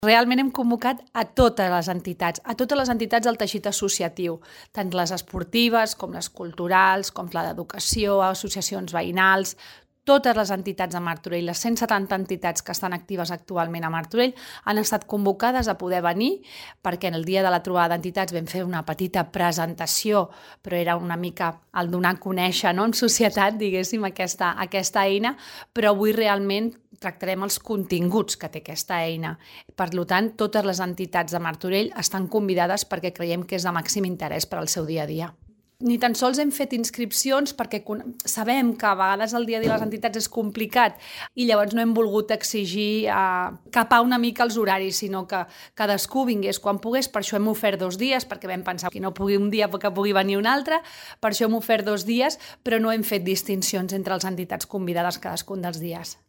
Realment hem convocat a totes les entitats del teixit associatiu, tant les esportives com les culturals, com la d'educació, associacions veïnals, totes les entitats de Martorell, les 170 entitats que estan actives actualment a Martorell, han estat convocades a poder venir perquè en el dia de la trobada d'entitats vam fer una petita presentació, però era una mica el donar a conèixer, no?, en societat, diguéssim, aquesta eina, però avui realment tractarem els continguts que té aquesta eina. Per tant, totes les entitats de Martorell estan convidades perquè creiem que és de màxim interès per al seu dia a dia. Ni tan sols hem fet inscripcions perquè sabem que a vegades el dia a dia de les entitats és complicat i llavors no hem volgut exigir capar una mica els horaris, sinó que cadascú vingués quan pogués. Per això hem ofert 2 dies, perquè vam pensar que no pugui un dia que pugui venir un altre, per això hem ofert 2 dies, però no hem fet distincions entre les entitats convidades cadascun dels dies.